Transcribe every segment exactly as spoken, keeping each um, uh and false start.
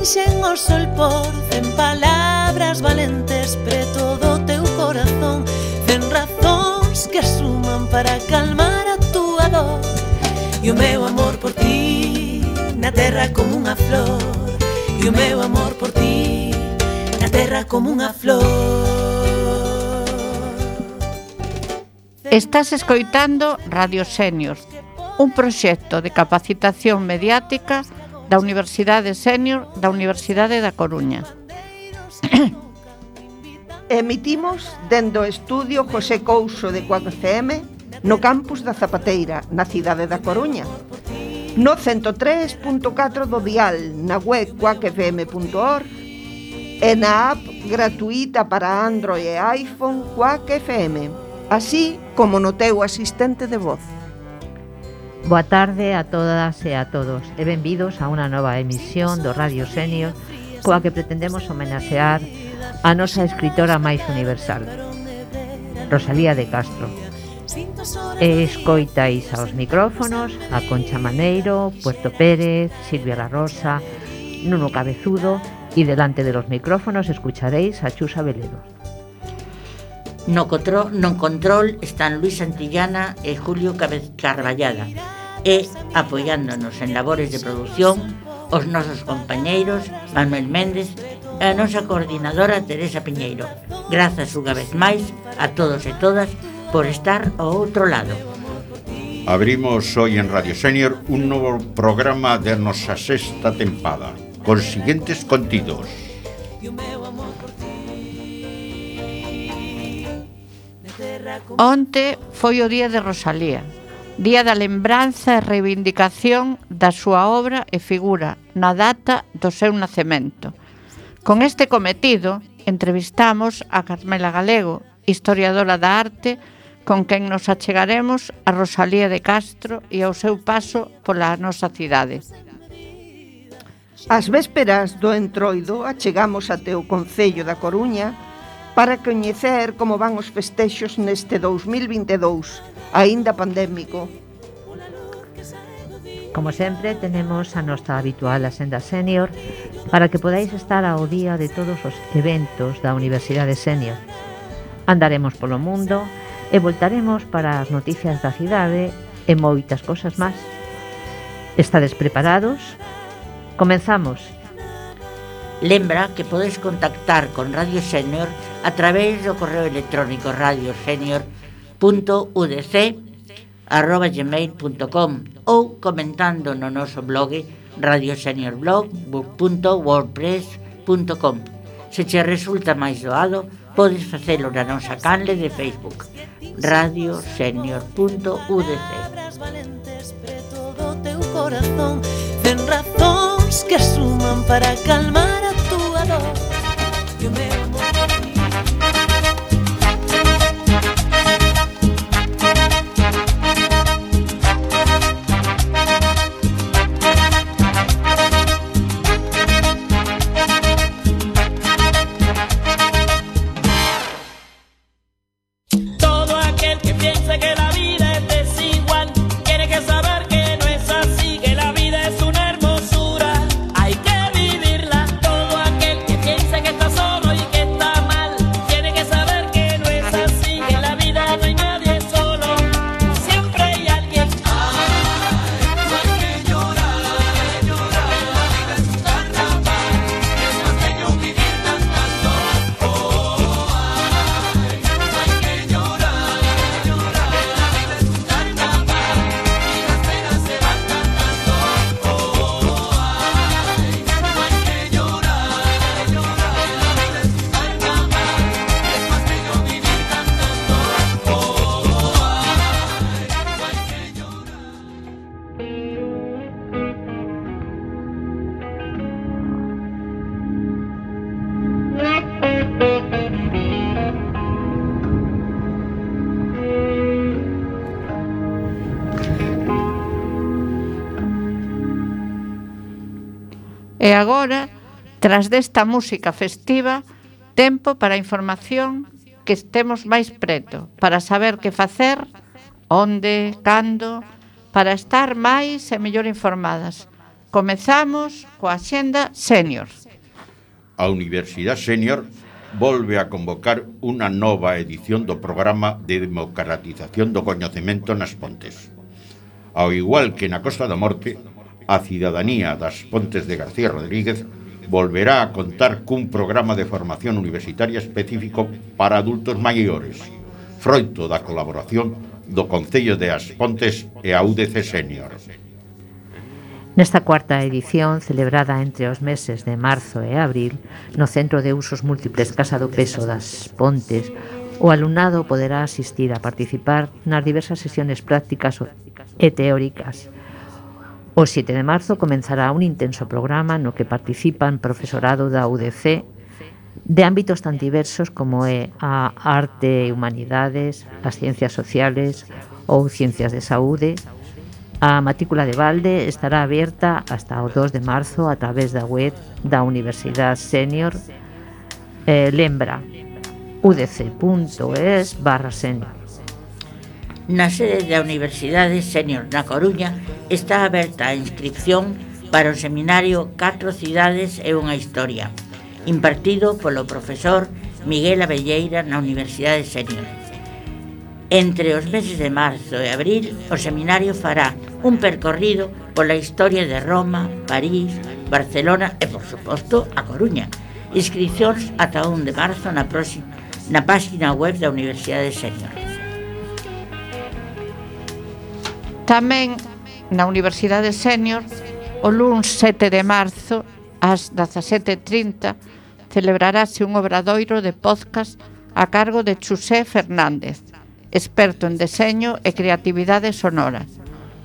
tinxen o sol por cen palabras valentes preto do teu corazón, cen razóns que suman para calmar a túa dor. E o meu amor por ti na terra como unha flor, e o meu amor por ti na terra como unha flor. Estás escoitando Radio Sénior, un proxecto de capacitación mediática da Universidade Sénior da Universidade da Coruña. Emitimos dende o estudio José Couso de Cuac F M no campus da Zapateira, na cidade da Coruña, no ciento tres punto catro do dial, na web cuac f m punto org e na app gratuita para Android e iPhone Cuac F M, así como no teu asistente de voz. Boa tarde a todas e a todos e benvidos a unha nova emisión do Radio Sénior coa que pretendemos homenaxear a nosa escritora máis universal, Rosalía de Castro. E escoitais aos micrófonos a Concha Maneiro, Puerto Pérez, Silvia La Rosa, Nuno Cabezudo e delante de los micrófonos escucharéis a Chusa Veledo. No, control, no control están Luis Santillana e Julio Carballada e apoiándonos en labores de producción os nosos compañeiros Manuel Méndez e a nosa coordinadora Teresa Piñeiro. Grazas unha vez máis a todos e todas por estar ao outro lado. Abrimos hoy en Radio Sénior un novo programa de nosa sexta tempada con siguientes contidos. Onte foi o día de Rosalía, día da lembranza e reivindicación da súa obra e figura na data do seu nacemento. Con este cometido, entrevistamos a Carmela Galego, historiadora da arte, con quen nos achegaremos a Rosalía de Castro e ao seu paso pola nosa cidade. Ás vésperas do Entroido achegamos até o Concello da Coruña para coñecer como van os festexos neste dous mil vinte e dous, aínda pandémico. Como sempre, tenemos a nosa habitual Asenda Sénior para que podáis estar ao día de todos os eventos da Universidade Sénior. Andaremos polo mundo e voltaremos para as noticias da cidade e moitas cosas máis. Estades preparados? Comenzamos. Lembra que podes contactar con Radio Sénior a través do correo electrónico radiosenior punto u d c arroba gmail punto com ou comentando no noso blog radioseniorblog punto wordpress punto com. Se che resulta máis doado, podes facelo na nosa canle de Facebook radiosenior punto u d c. Cen razóns que suman para calmar a túa dor. E o meu amor por ti. Todo aquel que piense que la vida es desigual tiene que saber que no es así, que la vida es una hermosura, hay que vivirla. Todo aquel que piense que está solo y que está mal tiene que saber que no es así, que en la vida no hay nadie solo, siempre hay alguien. Ay, no hay que llorar, llorar, la vida es un carnaval, es más bello vivir cantando. Oh, ay, no hay que llorar, llorar, la vida es un carnaval y las penas se van cantando. Oh, ay, no hay que llorar, llorar, la vida es un carnaval, es más bello vivir cantando. Oh, ay, no hay que llorar. E agora, tras desta música festiva, tempo para a información que estemos máis preto, para saber que facer, onde, cando, para estar máis e mellor informadas. comezamos coa Axenda Senior. A Universidade Senior volve a convocar unha nova edición do programa de democratización do coñecemento nas Pontes. Ao igual que na Costa da Morte, a cidadanía das Pontes de García Rodríguez volverá a contar cun programa de formación universitaria específico para adultos maiores, froito da colaboración do Concello de As Pontes e a U D C Senior. Nesta cuarta edición, celebrada entre os meses de marzo e abril, no Centro de Usos Múltiples Casa do Peso das Pontes, o alumnado poderá asistir a participar nas diversas sesiones prácticas e teóricas. O sete de marzo comenzará un intenso programa no que participan profesorado da U D C de ámbitos tan diversos como é a arte e humanidades, as ciencias sociales ou ciencias de saúde. A matrícula de balde estará aberta hasta o dos de marzo a través da web da Universidade Senior. Eh, lembra udc.es barra senior. Na sede da Universidade Senior na Coruña está aberta a inscripción para o seminario Catro cidades e unha historia, impartido polo profesor Miguel Abelleira na Universidade Senior. Entre os meses de marzo e abril, o seminario fará un percorrido pola historia de Roma, París, Barcelona e, por suposto, a Coruña. Inscripcións ata un de marzo na, próxima, na página web da Universidade Senior. Tamén na Universidade Senior, o luns sete de marzo, ás dezasete e trinta, celebrarase un obradoiro de podcast a cargo de Xusé Fernández, experto en deseño e creatividade sonora.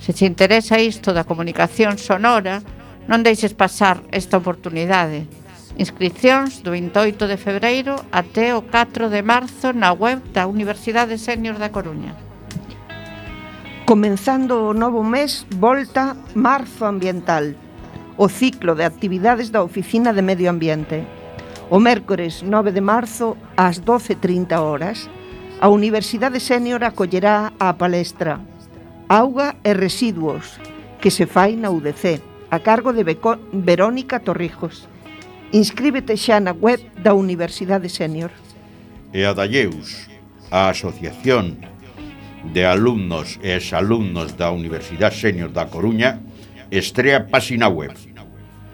Se te interesa isto da comunicación sonora, non deixes pasar esta oportunidade. Inscripcións do vinte e oito de febreiro até o catro de marzo na web da Universidade Senior da Coruña. Comenzando o novo mes, volta Marzo Ambiental, o ciclo de actividades da Oficina de Medio Ambiente. O mércores nove de marzo, ás doce e trinta horas, a Universidade Senior acollerá a palestra Auga e Residuos, que se fai na U D C, a cargo de Beco- Verónica Torrijos. Inscríbete xa na web da Universidade Senior. E a Dalleus, a Asociación de Alumnos e Exalumnos da Universidade Senior da Coruña, estrea páxina web.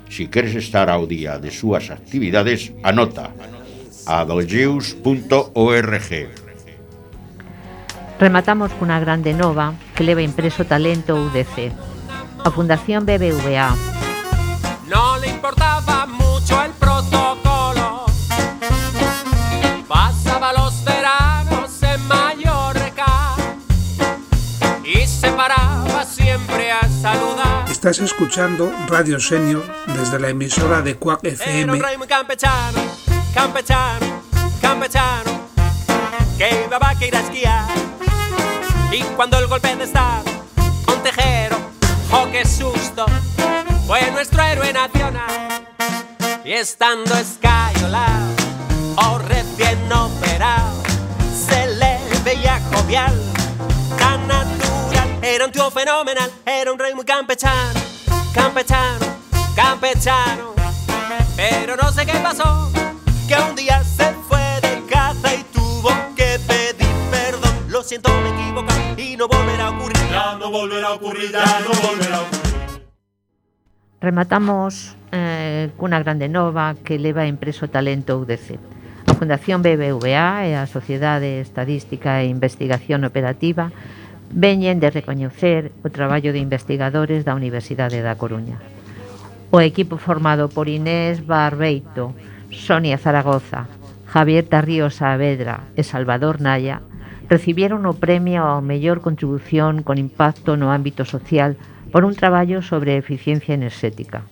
Si queres estar ao día de súas actividades, anota a dalleus punto org. Rematamos cunha grande nova que leva impreso Talento U D C. A Fundación B B V A no le importaba mucho el protocolo, pasaba los veranos en Mallorca y se paraba siempre a saludar. Estás escuchando Radio Senior desde la emisora de Quack F M. Era un rey muy campechano, campechano, campechano, que iba a vaca ir a esquiar. Y cuando el golpe de estado, un tejero, oh qué susto, fue nuestro héroe nacional. Y estando escayolado, o recién operado, se le veía jovial, tan natural. Era un tío fenomenal, era un rey muy campechano, campechano, campechano. Pero no sé qué pasó, que un día se fue de caza y tuvo que pedir perdón. Lo siento, me equivoqué y no volverá a ocurrir. Ya no volverá a ocurrir, ya no volverá a ocurrir. Rematamos eh, cunha grande nova que leva impreso Talento U D C. A Fundación B B V A e a Sociedade Estadística e Investigación Operativa veñen de recoñecer o traballo de investigadores da Universidade da Coruña. O equipo formado por Inés Barbeito, Sonia Zaragoza, Javier Tarrío Saavedra e Salvador Naya recibieron o premio ao mellor contribución con impacto no ámbito social por un traballo sobre eficiencia enerxética.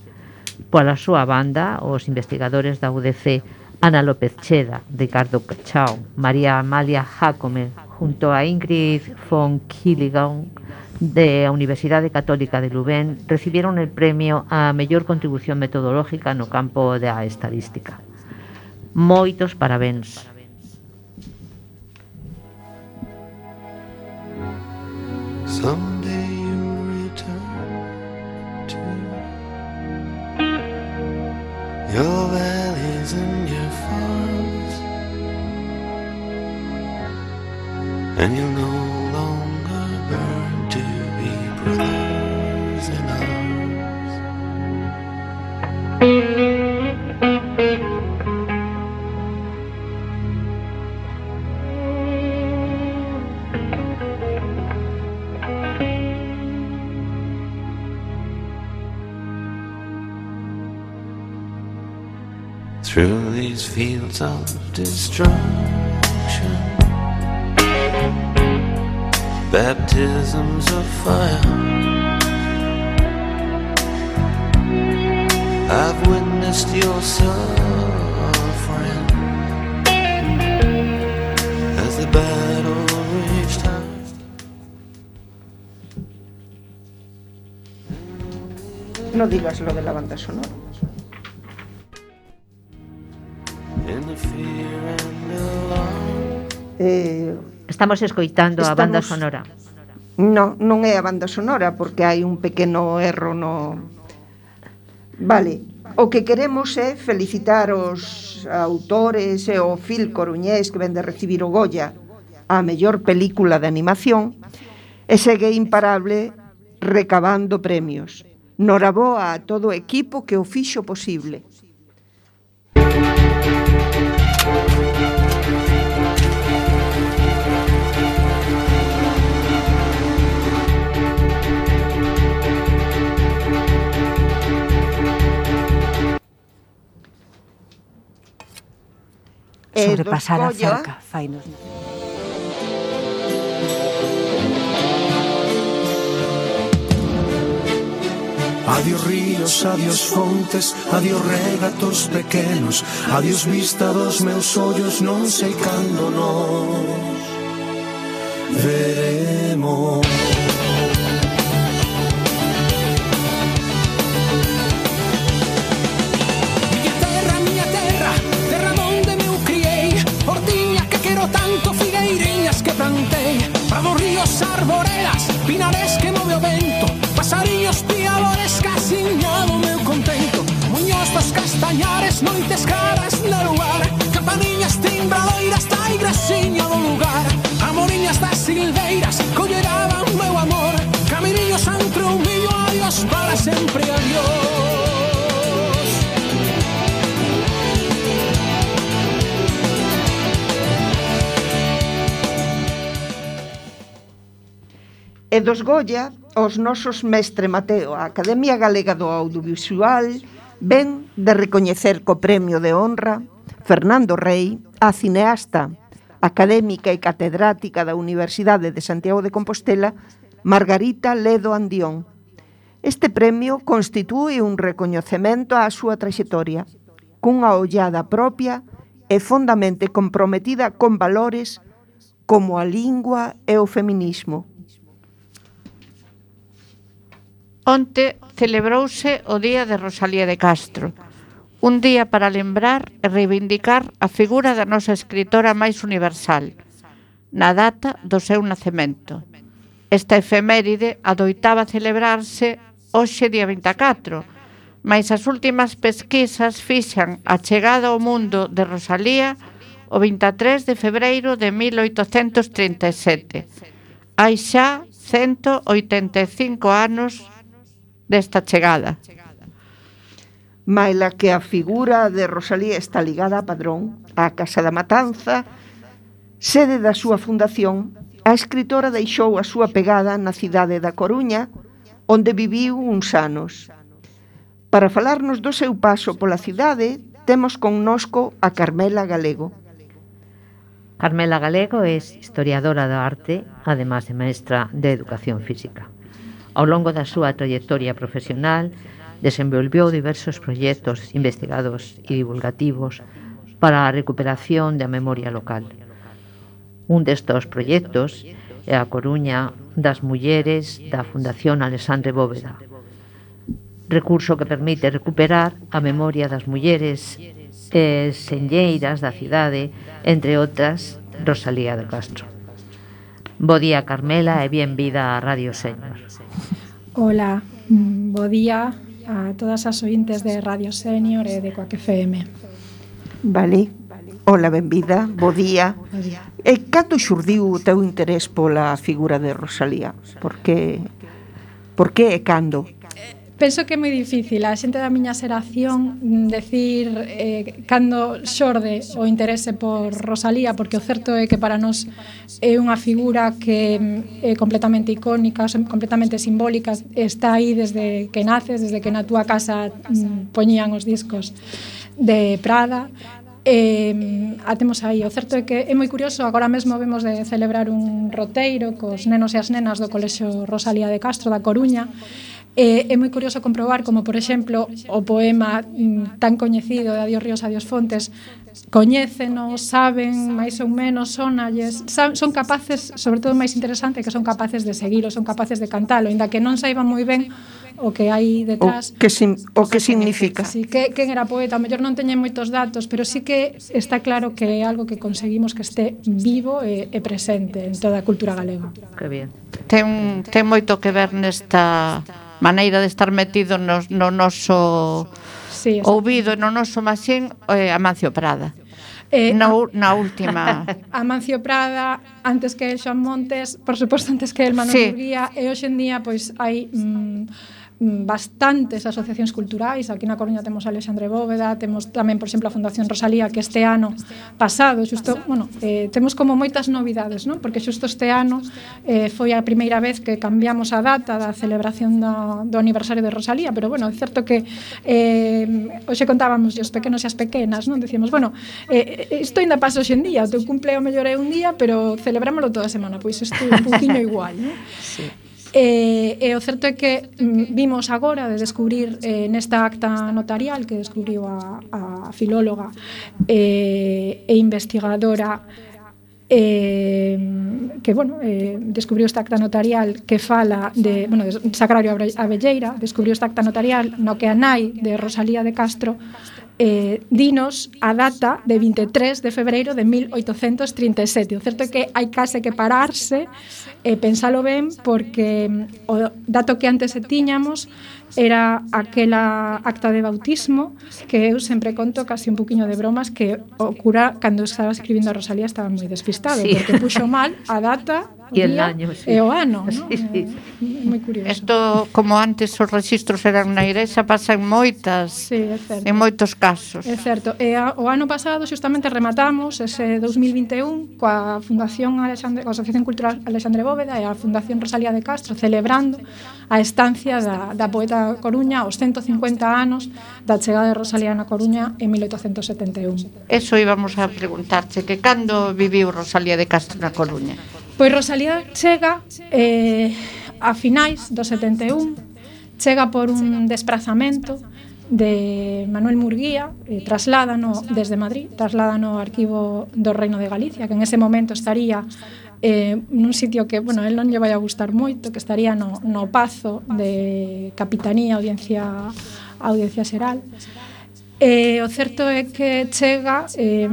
Pola súa banda, os investigadores da U D C Ana López Cheda, Ricardo Cachao, María Amalia Jacome, junto a Ingrid von Kiligan, de a Universidade Católica de Leuven, recibieron el premio a mellor contribución metodológica no campo da estadística. Moitos parabéns. Someday you'll return to your valleys and your farms, and you'll no longer burn to be brothers in arms. Through these fields of destruction, baptisms of fire, I've witnessed your suffering as the battle raged high. No digas lo de la banda sonora. Eh, Estamos escoitando a banda estamos- sonora. No, non é a banda sonora porque hai un pequeno erro no... Vale, o que queremos é felicitar os autores e o Fil Coruñés que ven de recibir o Goya a mellor película de animación e segue imparable recabando premios. Noraboa a todo o equipo que o fixo posible. E dos Sobrepasar a Goya- cerca, fainos. Adiós ríos, adiós fontes, adiós regatos pequenos, adiós vista dos meus ollos, non sei cando nos veremos. Miña terra, miña terra, terra donde me criei, hortiña que quero tanto, figueiriñas que plantei, prados, ríos, arboredas, pinares que move o vento, pasariños, piadores, casiñado meu contento, muños dos castañares, noites caras de lugar, campaniñas, timbradoiras, da igresiña do lugar, amoriñas das silveiras, colleraban meu amor, caminiños entre un millo, adiós para sempre, adiós. E dos Goya, os nosos mestre Mateo, a Academia Galega do Audiovisual, ven de recoñecer co premio de honra Fernando Rey, a cineasta, académica e catedrática da Universidade de Santiago de Compostela, Margarita Ledo Andión. Este premio constitúe un recoñecemento á súa traxectoria, cunha ollada propia e fondamente comprometida con valores como a lingua e o feminismo. Onte celebrouse o Día de Rosalía de Castro, un día para lembrar e reivindicar a figura da nosa escritora máis universal, na data do seu nacemento. Esta efeméride adoitaba celebrarse hoxe día vinte e catro, mais as últimas pesquisas fixan a chegada ao mundo de Rosalía o vinte e tres de febreiro de mil oitocentos trinta e sete. Hai xa cento oitenta e cinco anos desta chegada. Maila que a figura de Rosalía está ligada a Padrón, á Casa da Matanza, sede da súa fundación, a escritora deixou a súa pegada na cidade da Coruña, onde viviu uns anos. Para falarnos do seu paso pola cidade, temos connosco a Carmela Galego. Carmela Galego é historiadora da arte, además de maestra de educación física. Ao longo da súa trayectoria profesional, desenvolveu diversos proxectos investigados e divulgativos para a recuperación da memoria local. Un destes proxectos é a Coruña das Mulleres da Fundación Alexandre Bóveda, recurso que permite recuperar a memoria das mulleres e senlleiras da cidade, entre outras, Rosalía de Castro. Bo día, Carmela, e benvida a Radio Senior. Hola, bo día a todas as ointes de Radio Senior e de Coac F M. Vale. Hola, benvida, bo día. E cando xurdiu o teu interés pola figura de Rosalía? Por que, por que e cando? Penso que é moi difícil a xente da miña xeración decir eh, cando xorde o interese por Rosalía, porque o certo é que para nós é unha figura que é completamente icónica, completamente simbólica, está aí desde que naces, desde que na túa casa mm, poñían os discos de Prada. Eh, a temos aí. O certo é que é moi curioso, agora mesmo vemos de celebrar un roteiro cos nenos e as nenas do Colexio Rosalía de Castro da Coruña. Eh, é moi curioso comprobar como, por exemplo, o poema mm, tan coñecido de Adiós ríos, adiós fontes coñécenos, saben, máis ou menos sonalles, son capaces, sobre todo máis interesante, que son capaces de seguilo, son capaces de cantalo, ainda que non saiban moi ben o que hai detrás. O que, sim, o que significa. Sí, que, quen era poeta, a mellor non teñen moitos datos, pero sí que está claro que é algo que conseguimos que este vivo e, e presente en toda a cultura galega. Que bien. Ten, ten moito que ver nesta maneira de estar metido no, no noso sí, ouvido, no noso maxín, eh, Amancio Prada. Eh, na, na última Amancio Prada, antes que el Xoan Montes, por suposto antes que el Manuel sí. Murguía, e hoxe en día pois hai mm, bastantes asociacións culturais. Aquí na Coruña temos a Alexandre Bóveda, temos tamén, por exemplo, a Fundación Rosalía, que este ano pasado, xusto, bueno, eh, temos como moitas novidades, non? Porque xusto este ano eh, foi a primeira vez que cambiamos a data da celebración do, do aniversario de Rosalía, pero bueno, é certo que eh, hoxe contábamos os pequenos e as pequenas, non? Decíamos, bueno, eh, isto ainda pasa hoxe en día, o teu cumpleo mellor é un día, pero celebrámoslo toda a semana, pois isto é un poquinho igual, non? Sí. E, e o certo é que mm, vimos agora de descubrir eh, nesta acta notarial que descubriu a, a filóloga eh, e investigadora eh, que, bueno, eh, descubriu esta acta notarial que fala de, bueno, de Sacrario Abelleira, descubriu esta acta notarial no que a nai de Rosalía de Castro eh, dinos a data de vinte e tres de febreiro de mil oitocentos trinta e sete. O certo é que hai case que pararse e pensalo ben, porque o dato que antes se tiñamos era aquela acta de bautismo que eu sempre conto casi un poquinho de bromas que o cura cando estaba escribindo a Rosalía estaba moi despistado, sí. Porque puxo mal a data e el año, sí. E o ano, ¿no? Sí, sí. Moi curioso. Isto, como antes os registros eran na igrexa, pasa en moitas, sí, é certo. En moitos casos. É certo. E a, o ano pasado xustamente rematamos ese dos mil vinte e un coa Fundación Alexandre, a Asociación Cultural Alexandre Bóveda e a Fundación Rosalía de Castro celebrando a estancia da, da poeta Coruña aos ciento cincuenta anos da chegada de Rosalía na Coruña en mil oitocentos setenta e un. Eso íbamos a preguntarche, que cando viviu Rosalía de Castro na Coruña? Pois Rosalía chega eh, a finais do setenta e un, chega por un desprazamento de Manuel Murguía, eh, trasládano desde Madrid, trasládano ao arquivo do Reino de Galicia, que en ese momento estaría eh, nun sitio que, bueno, el non lle vai a gustar moito, que estaría no, no Pazo de Capitanía, Audiencia, Audiencia Xeral. E o certo é que chega eh,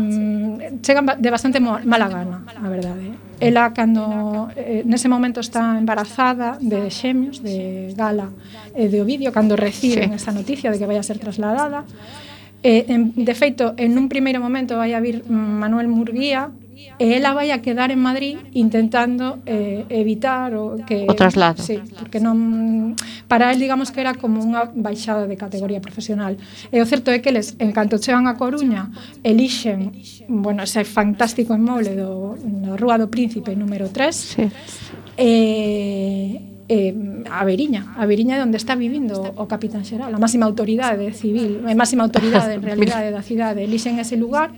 chega de bastante mala gana, a verdade. Ela, cando eh, nese momento está embarazada de xemios, de Gala e de Ovidio, cando reciben sí. esta noticia de que vai a ser trasladada. Eh, en, de feito, en un primeiro momento vai a vir Manuel Murguía e ela vai a quedar en Madrid intentando eh, evitar o que o traslado. Sí, porque non para él digamos que era como unha baixada de categoría profesional. E o certo é que eles, en canto chegan a Coruña, elixen, bueno, ese fantástico inmoble do na Rúa do Príncipe número tres. Sí. E Eh, a Veriña, a Veriña é onde está vivindo o capitán xeral, a máxima autoridade civil, a máxima autoridade en realidade da cidade, elixen ese lugar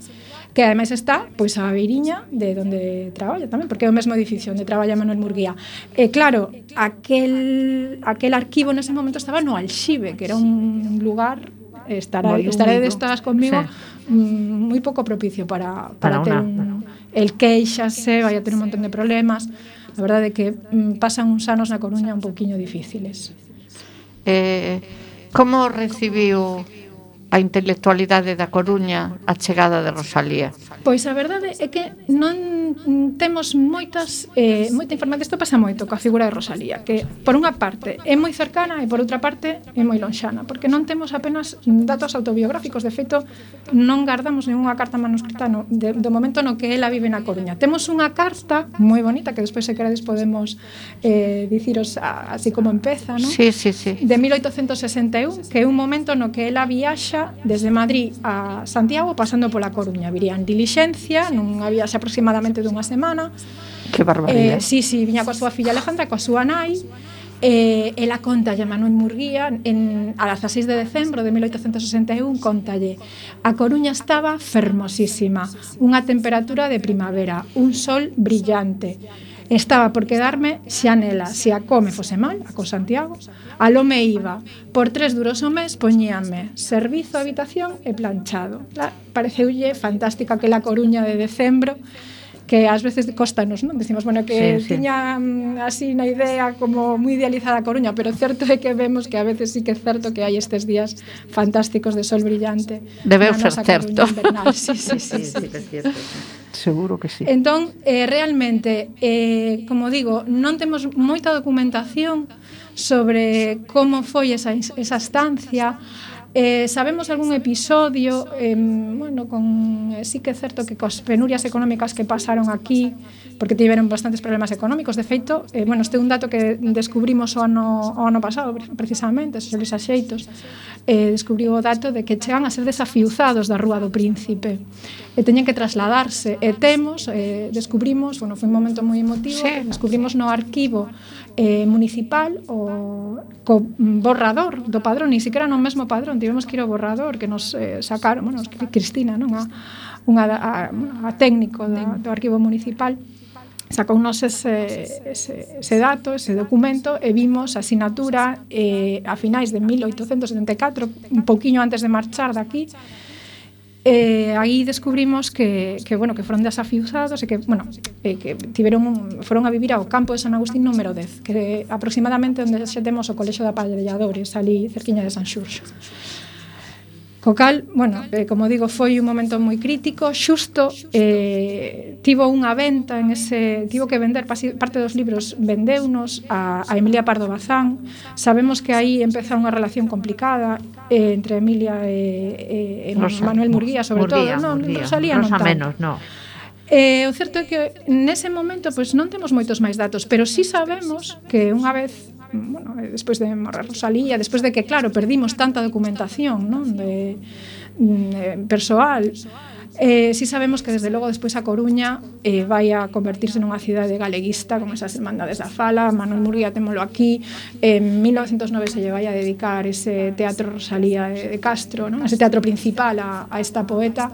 que ademais está pois a Veriña de onde traballa tamén, porque é o mesmo edificio onde traballa Manuel Murguía. E claro, aquel aquel arquivo nese momento estaba no Alxibe, que era un lugar estará estaredes todas conmigo, sí. moi pouco propicio para para, para ter un, el queixase, vai a ter un montón de problemas. A verdade é que mm, pasan uns anos na Coruña un pouquiño difíciles. Eh, como recibiu a intelectualidade da Coruña a chegada de Rosalía? Pois a verdade é que non temos moitas eh, moita información. Isto pasa moito coa figura de Rosalía, que por unha parte é moi cercana e por outra parte é moi lonxana, porque non temos apenas datos autobiográficos. De feito, non guardamos ninguna carta manuscrita no, de, do momento no que ela vive na Coruña. Temos unha carta moi bonita que despois, se queredes, podemos eh, diciros a, así como empeza, non? Sí, sí, sí. De mil oitocentos sesenta e un, que é un momento no que ela viaxa desde Madrid a Santiago pasando pola Coruña. Viría en dilixencia, nunha viaxe aproximadamente dunha semana. Que barbaridade. Eh, sí, sí, viña coa súa filla Alejandra, coa súa nai. Eh, ela contalle a Manuel Murguía en, a dezaseis de decembro de mil oitocentos sesenta e un, contalle: a Coruña estaba fermosísima, unha temperatura de primavera, un sol brillante. Estaba por quedarme xa nela, se a come fose mal, a co Santiago, aló me iba, por tres duros o mes poñíanme servizo, habitación e planchado. La, pareceulle fantástica aquela Coruña de decembro, que ás veces costanos, non? Decimos, bueno, que sí, sí. tiña mm, así na idea como moi idealizada a Coruña, pero certo é que vemos que a veces sí que é certo que hai estes días fantásticos de sol brillante. Debeu ser certo. Sí, sí, sí, sí, sí, sí. Seguro que sí. Entón, eh, realmente, eh, como digo, non temos moita documentación sobre como foi esa, esa estancia. Eh, sabemos algún episodio, eh, bueno, con, eh, sí que é certo que cos penurias económicas que pasaron aquí, porque tiveron bastantes problemas económicos. De feito, eh, bueno, este é un dato que descubrimos o ano, o ano pasado, precisamente, os Luis Axeitos, eh, descubriu o dato de que chegan a ser desafiuzados da Rúa do Príncipe, e teñen que trasladarse, e temos, eh, descubrimos, bueno, foi un momento moi emotivo, sí. descubrimos no arquivo eh, municipal o co borrador do padrón, ni siquiera no mesmo padrón, tivemos que ir ao borrador que nos eh, sacaron, bueno, Cristina, non, a, unha a, a técnico do, do arquivo municipal, sacounos ese, ese, ese dato, ese documento, e vimos a asinatura eh, a finais de mil oitocentos setenta e catro, un pouquiño antes de marchar daqui. Eh, aí descubrimos que, que, bueno, que foron desafiuzados e que, bueno, eh, que tiveron un, foron a vivir ao campo de San Agustín número dez, que é aproximadamente onde xa temos o Colexio de Aparelladores, ali cerquiña de San Xurxo. Co cal, bueno, eh, como digo, foi un momento moi crítico. Xusto eh, tivo unha venta en ese, tivo que vender parte dos libros, vendeunos a, a Emilia Pardo Bazán. Sabemos que aí empeza unha relación complicada eh, entre Emilia e, e, e Rosa, Manuel Murguía, sobre Murguía, todo. Non, Murguía. Rosalía Rosa non tanto. menos, no. Eh, o certo é que nese momento pois, non temos moitos máis datos, pero sí sabemos que unha vez, bueno, despois de morrer Rosalía, despois de que, claro, perdimos tanta documentación, non, de, de persoal, eh, si sabemos que desde logo despois a Coruña eh, vai a convertirse nunha cidade galeguista con esas hermandades da fala. Manuel Murguía témolo aquí, en mil novecentos nove se lle vai a dedicar ese teatro Rosalía de, de Castro, non? Ese teatro principal a, a esta poeta.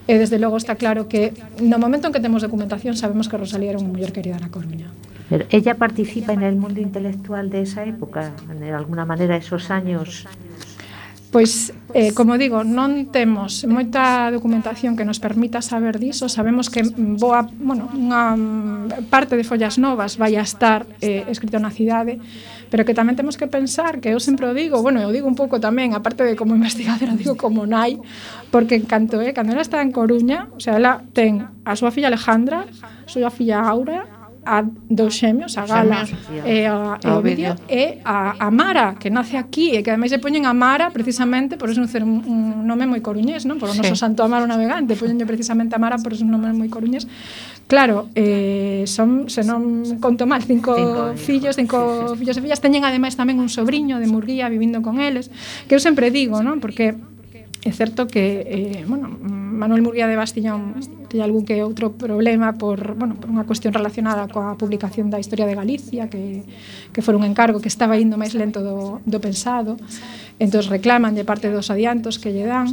E desde logo está claro que no momento en que temos documentación sabemos que Rosalía era unha muller querida na Coruña. Pero ella participa en el mundo intelectual de esa época, de alguna manera esos años. Pois, eh, como digo, non temos moita documentación que nos permita saber diso. Sabemos que boa, bueno, unha parte de Follas Novas vai a estar eh, escrito na cidade, pero que tamén temos que pensar, que eu sempre o digo, bueno, eu digo un pouco tamén, aparte de como investigadora, digo como nai, porque en canto, eh, cando ela está en Coruña, o sea, ela ten a súa filla Alejandra, a súa filla Aura, a dos xemios, a Gala e a, e o vídeo, e a, a Mara, que nace aquí, e que ademais se poñen a Mara precisamente por eso un, un nome moi coruñés, non? Por o noso sí. Santo Amaro navegante, poñenlle precisamente a Mara por eso un nome moi coruñés. Claro, eh, son, se non conto mal, cinco, cinco fillos, cinco sí, sí. fillos e fillas, teñen ademais tamén un sobrinho de Murguía vivindo con eles, que eu sempre digo, non? Porque é certo que, eh, bueno, Manuel Murguía de Bastillón ten algún que outro problema por, bueno, por unha cuestión relacionada coa publicación da Historia de Galicia, que, que foi un encargo que estaba indo máis lento do, do pensado, entón reclaman de parte dos adiantos que lle dan.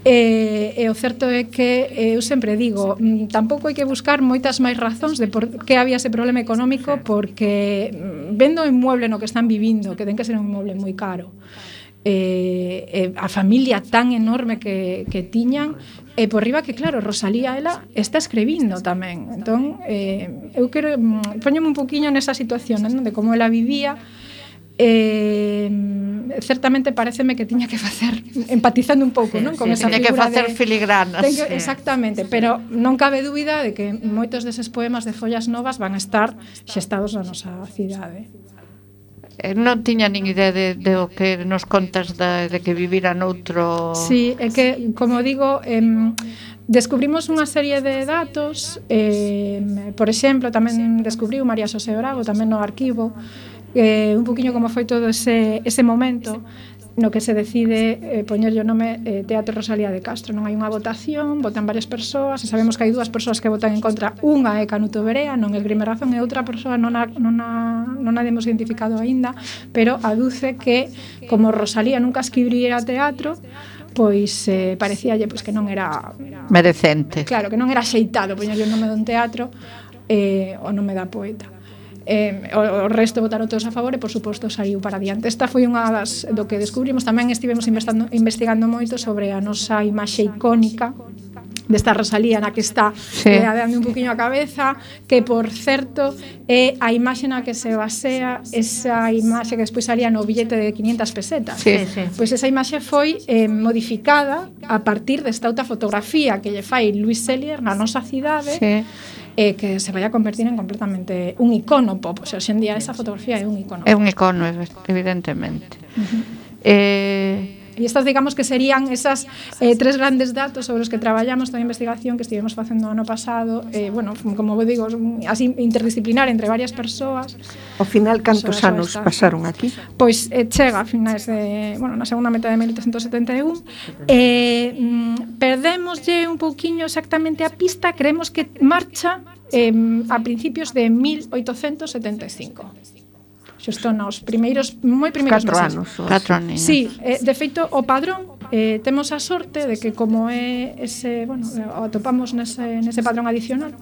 E, e o certo é que eu sempre digo, tampouco hai que buscar moitas máis razóns de por que había ese problema económico, porque vendo o inmueble no que están vivindo, que ten que ser un inmueble moi caro, Eh, eh, a familia tan enorme que, que tiñan, e por riba que claro, Rosalía ela está escribindo tamén, entón eh, eu quero poñome un poquinho nesa situación, non? De como ela vivía. Eh, certamente pareceme que tiña que facer empatizando un pouco, sí, non? Con sí, esa tiña que facer de, filigranas. Que, sí. Exactamente, pero non cabe dúbida de que moitos deses poemas de Follas Novas van a estar xestados na nosa cidade. Non tiña nin idea de, de o que nos contas de, de que vivira noutro... Sí, é que, como digo, eh, descubrimos unha serie de datos, eh, por exemplo, tamén descubriu María Xosé Bravo, tamén no arquivo, eh, un poquinho como foi todo ese, ese momento no que se decide eh, poñerlle o nome eh, Teatro Rosalía de Castro. Non hai unha votación, votan varias persoas, e sabemos que hai dúas persoas que votan en contra. Unha é Canuto Berea, non esgrime razón, e outra persoa non a, non a, non a demos identificado aínda, pero aduce que como Rosalía nunca escribiría teatro, pois eh, parecíalle pois, que non era merecente. Claro, que non era xeitado poñerlle o nome dun teatro eh, o nome da poeta. Eh, o, o resto votaron todos a favor e por suposto saiu para adiante. Esta foi unha das do que descubrimos. Tamén estivemos investigando, investigando moito sobre a nosa imaxe icónica desta Rosalía na que está sí. eh, adeando un poquinho a cabeza, que por certo é a imaxe na que se basea esa imaxe que despois salía no billete de quinientas pesetas. Sí, sí. Pois esa imaxe foi eh, modificada a partir desta outra fotografía que lle fai Luis Sellier na nosa cidade. Sí. Eh, que se vai a convertir en completamente un icono pop. O sea, hoxe en día esa fotografía é un icono. É un icono, evidentemente. Uh-huh. Eh... E estas, digamos, que serían esas eh, tres grandes datos sobre os que traballamos toda a investigación que estivemos facendo o ano pasado, eh, bueno, como vos digo, así interdisciplinar entre varias persoas. Ao final, cantos anos pasaron aquí? Pois eh, chega a finais de, bueno, na segunda metade de mil oitocentos setenta e un. Eh, mm, perdémoslle un pouquiño exactamente a pista, creemos que marcha eh, a principios de mil oitocentos setenta e cinco. Xusto nos primeiros, moi primeiros Catro meses. anos. Catro anos. Sí, eh, de feito, o padrón, eh, temos a sorte de que como é ese, bueno, o atopamos nese, nese padrón adicional,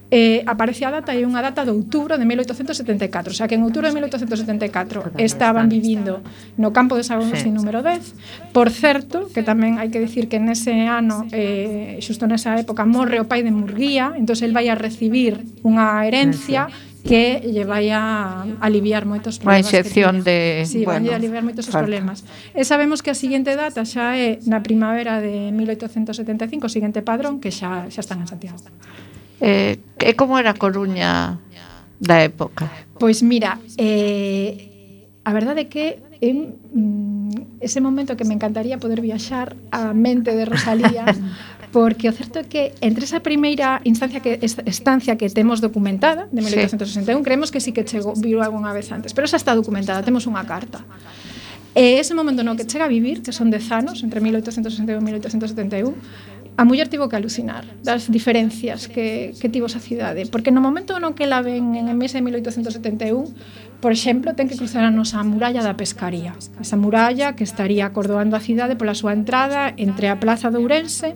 eh, aparece a data e unha data de outubro de mil oitocentos setenta e catro. O sea, que en outubro de mil oitocentos setenta e catro estaban vivindo no campo de Sagón-Agustín número dez. Por certo, que tamén hai que dicir que nese ano, eh, xusto nesa época, morre o pai de Murguía, entón el vai a recibir unha herencia que lle vai a aliviar moitos problemas. Unha excepción de... Sí, bueno, vai a aliviar moitos os problemas. E sabemos que a seguinte data xa é na primavera de mil oitocentos setenta e cinco, o seguinte padrón, que xa, xa están en Santiago. Eh, e como era a Coruña da época? Pois mira, eh, a verdade é que en mm, ese momento que me encantaría poder viaxar á mente de Rosalía, porque o certo é que entre esa primeira instancia que estancia que temos documentada de mil oitocentos sesenta e un, sí. creemos que sí que chegou, viu algunha vez antes, pero esa está documentada, temos unha carta. E ese momento no que chega a vivir, que son dez anos, entre mil oitocentos sesenta e un e mil oitocentos setenta e un, a muller tivo que alucinar das diferencias que, que tivo esa cidade, porque no momento no que la ven en ese mil oitocentos setenta e un, por exemplo, ten que cruzar a nosa muralla da pescaría, esa muralla que estaría acordoando a cidade pola súa entrada entre a Plaza de Ourense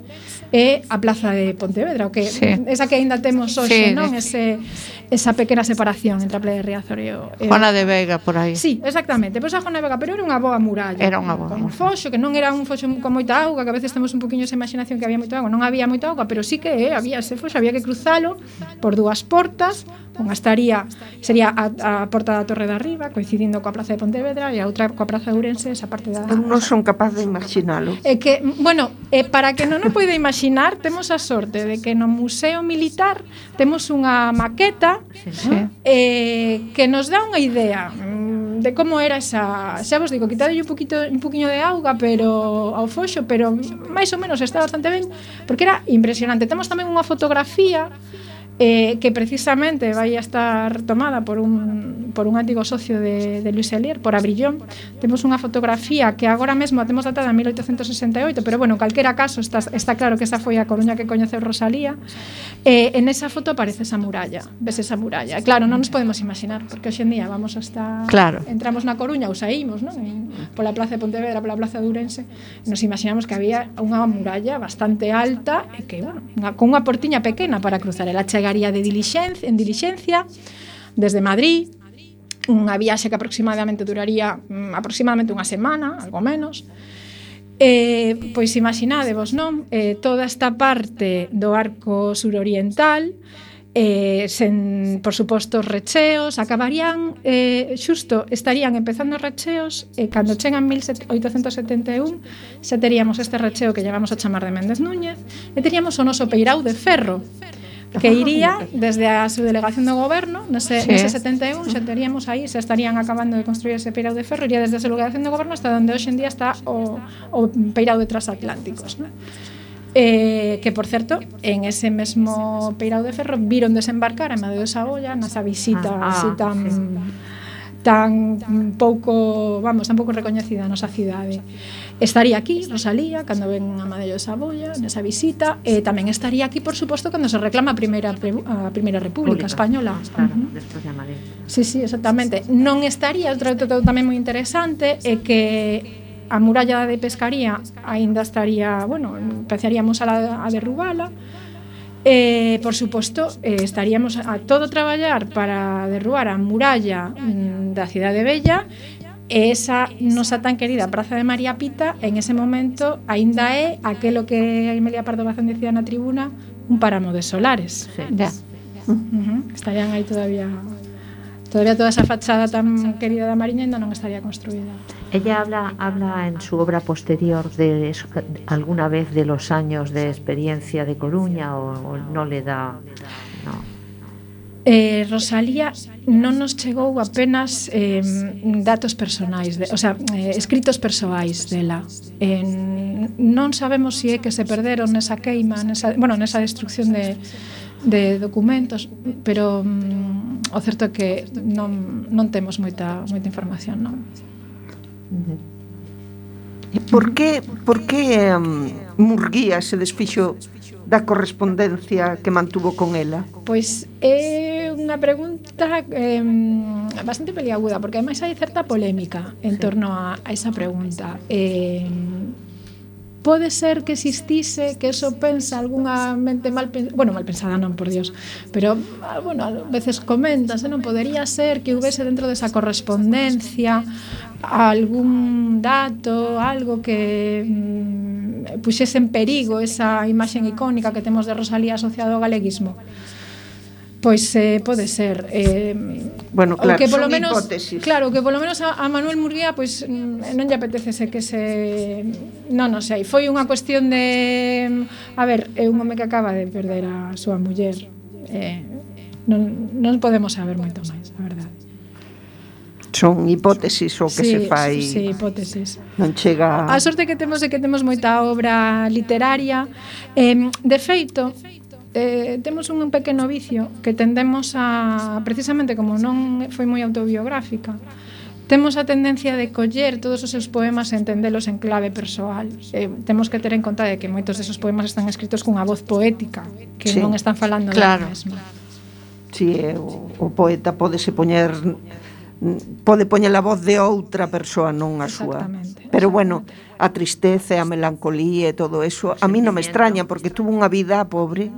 e a Plaza de Pontevedra, o que sí. esa que aínda temos hoxe, sí, non? Ese, esa pequena separación entre a Playa de Riazor e o... Juana de Vega, por aí. Sí, exactamente, pois a Juana de Vega, pero era unha boa muralla. Era unha boa. Con un foxo, que non era un foxo con moita auga, que a veces temos un poquinho esa imaginación que había moita auga, non había moita auga, pero sí que eh, había ese foxo, había que cruzalo por dúas portas, unha estaría, sería a, a porta da Torre de Arriba, coincidindo coa Praza de Pontevedra, e a outra coa Praza de Ourense, esa parte da... Non son capaz de imaginalo. É que, bueno, eh, para que non o poida imaginar, temos a sorte de que no Museo Militar temos unha maqueta sí, sí. Eh, que nos dá unha idea de como era esa... Xa vos digo, quitadolle un poquito un poquinho de auga pero ao foxo, pero máis ou menos está bastante ben, porque era impresionante. Temos tamén unha fotografía eh, que precisamente vai a estar tomada por un, por un antigo socio de, de Luis Sellier, por Abrillón. Temos unha fotografía que agora mesmo a temos datada en mil oitocentos sesenta e oito, pero bueno, en calquera caso está, está claro que esa foi a Coruña que coñeceu Rosalía. Eh, en esa foto aparece esa muralla, ves esa muralla. E claro, non nos podemos imaginar, porque hoxe en día vamos hasta... Claro. Entramos na Coruña ou saímos, non? En, pola Plaza de Pontevedra, pola Plaza de Ourense, nos imaginamos que había unha muralla bastante alta e que, bueno, unha, con unha portiña pequena para cruzar. Ela chegaría de dilixencia, en dilixencia desde Madrid, unha viaxe que aproximadamente duraría mm, aproximadamente unha semana, algo menos. Eh, pois imaginádevos, non? Eh, toda esta parte do arco suroriental Eh, sen, por suposto, os recheos acabarían, eh, xusto estarían empezando os recheos e eh, cando chegan mil oitocentos setenta e un xa teríamos este recheo que llevamos a chamar de Méndez Núñez e teríamos o noso peirao de ferro que iría desde a subdelegación do goberno nese, sí. nese setenta e un xa teríamos aí, xa estarían acabando de construir ese peirao de ferro, iría desde a subdelegación do goberno hasta onde hoxe en día está o, o peirao de transatlánticos, non? Eh, que por certo, en ese mesmo peirao de ferro viron desembarcar a Amadeo de Saboya nasa visita ah, así tan sí. tan pouco, vamos, tan pouco recoñecida a nosa cidade. Estaría aquí Rosalía cando ven a Amadeo de Saboya nesa visita e tamén estaría aquí, por suposto, cando se reclama a primeira a primeira república Pública. española. Claro, uh-huh. despois de Amadeo. Sí, sí, exactamente. Non estaría, outro dato tamén moi interesante é que a muralla de Pescaría aínda estaría, bueno, empezaríamos a, a derrubala. Eh, por suposto, eh, estaríamos a todo traballar para derrubar a muralla mm, da Cidade Bella e esa nosa tan querida Praza de María Pita en ese momento aínda é aquelo que Emilia Pardo Bazán dicía na tribuna, un páramo de solares. Sí, ya. Uh-huh. Estarían aí todavía todavía toda esa fachada tan querida da Mariña ainda non estaría construída. Ella habla, habla en su obra posterior de eso, alguna vez de los años de experiencia de Coruña o, o no le da... No. Eh, Rosalía non nos chegou apenas eh, datos personais, de, o sea, eh, escritos persoais dela. Eh, non sabemos se si é que se perderon nesa queima, nesa, bueno, nesa destrucción de, de documentos, pero mm, o certo é que non, non temos moita, moita información, non? Por que, por que um, Murguía se desfixo da correspondencia que mantuvo con ela? Pois é unha pregunta eh, bastante peliaguda, porque ademais hai certa polémica en sí. torno a, a esa pregunta. Eh, pode ser que existise, que eso pensa algunha mente mal pensada, bueno, mal pensada non, por Dios, pero, bueno, a veces comentas, non podería ser que houvese dentro desa correspondencia algún dato, algo que mm, puxese en perigo esa imaxen icónica que temos de Rosalía asociado ao galeguismo. Pois eh, pode ser eh, bueno, claro, que polo son menos, hipótesis. Claro, que polo menos a, a Manuel Murguía pois non lle apetecese que se non, non sei, foi unha cuestión de a ver, é un home que acaba de perder a súa muller eh, non, non podemos saber moito máis, a verdade. Son hipótesis o que sí, se fai. Sí, hipótesis. Non chega... A sorte que temos é que temos moita obra literaria. Eh, de feito, eh, temos un pequeno vicio que tendemos a, precisamente como non foi moi autobiográfica, temos a tendencia de coller todos os seus poemas e entendelos en clave persoal. Eh, temos que ter en conta de que moitos desos poemas están escritos cunha voz poética, que sí. non están falando claro. da mesma. Si, sí, o, o poeta pódese poñer pode poñer a voz de outra persoa, non a súa. Pero bueno, a tristeza e a melancolía e todo eso, a mí non me extraña porque tuvo unha vida pobre.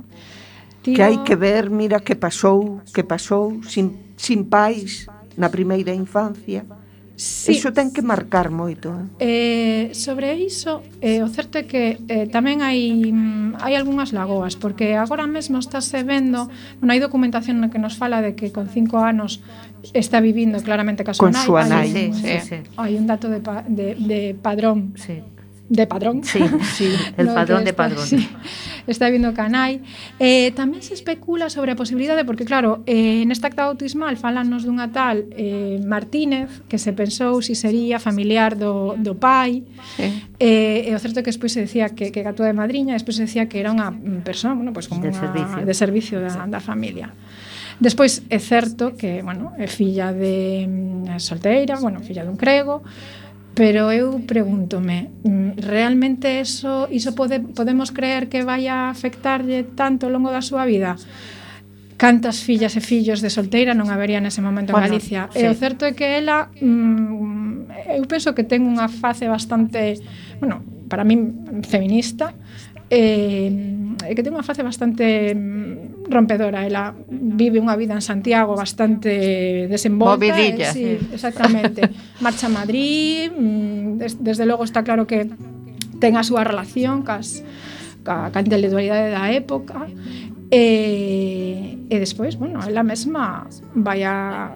Tío... que hai que ver, mira que pasou, que pasou sin sin pais na primeira infancia. Sí. Iso ten que marcar moito. Eh, sobre iso, eh, o certo é que eh, tamén hai hai algunhas lagoas, porque agora mesmo estáse vendo, bueno, hai documentación na que nos fala de que con cinco anos está vivindo claramente ca súa nai. Con súa nai. Hai, sí, sí, sí. Hai un dato de, pa, de, de padrón. Sí. De padrón. Sí, sí. El no, padrón de está, padrón. Sí, está vindo canai. Eh, tamén se especula sobre a posibilidade, porque claro, eh, nesta acta bautismal falanos dunha tal eh, Martínez, que se pensou si sería familiar do, do pai. Sí. Eh, e o certo é que despois se decía que, que gatua de madriña, despois se decía que era unha persoa, bueno, pues como de unha, servicio, de servicio da, da familia. Despois é certo que, bueno, é filla de mm, solteira, bueno, filla dun crego. Pero eu pregúntome, realmente eso, iso pode, podemos creer que vai a afectarlle tanto ao longo da súa vida? Cantas fillas e fillos de solteira non habería nese momento en bueno, Galicia? Sí. E o certo é que ela, mm, eu penso que ten unha face bastante, bueno, para min feminista, e eh, que ten unha face bastante rompedora. Ela vive unha vida en Santiago bastante desenvolta. Movidilla. Eh, sí, exactamente. Marcha a Madrid, des, desde logo está claro que ten a súa relación cas, ca, ca intelectualidade da época. E, e despois, bueno, ela mesma vai a,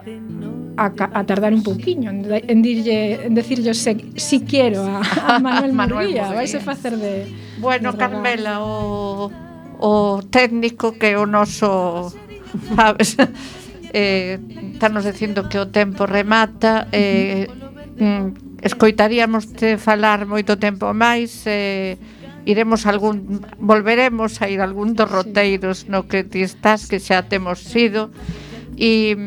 a, a tardar un pouquiño en, en, dirlle, en decirlle se, si quiero a, a Manuel, Manuel Murguía. Vaise facer de... Bueno, de Carmela, o, o técnico que é o noso, sabes, eh, estamos dicindo que o tempo remata, eh, mm, escoitaríamos te falar moito tempo máis, eh, iremos algún, volveremos a ir a algún dos roteiros no que ti estás, que xa temos sido, e,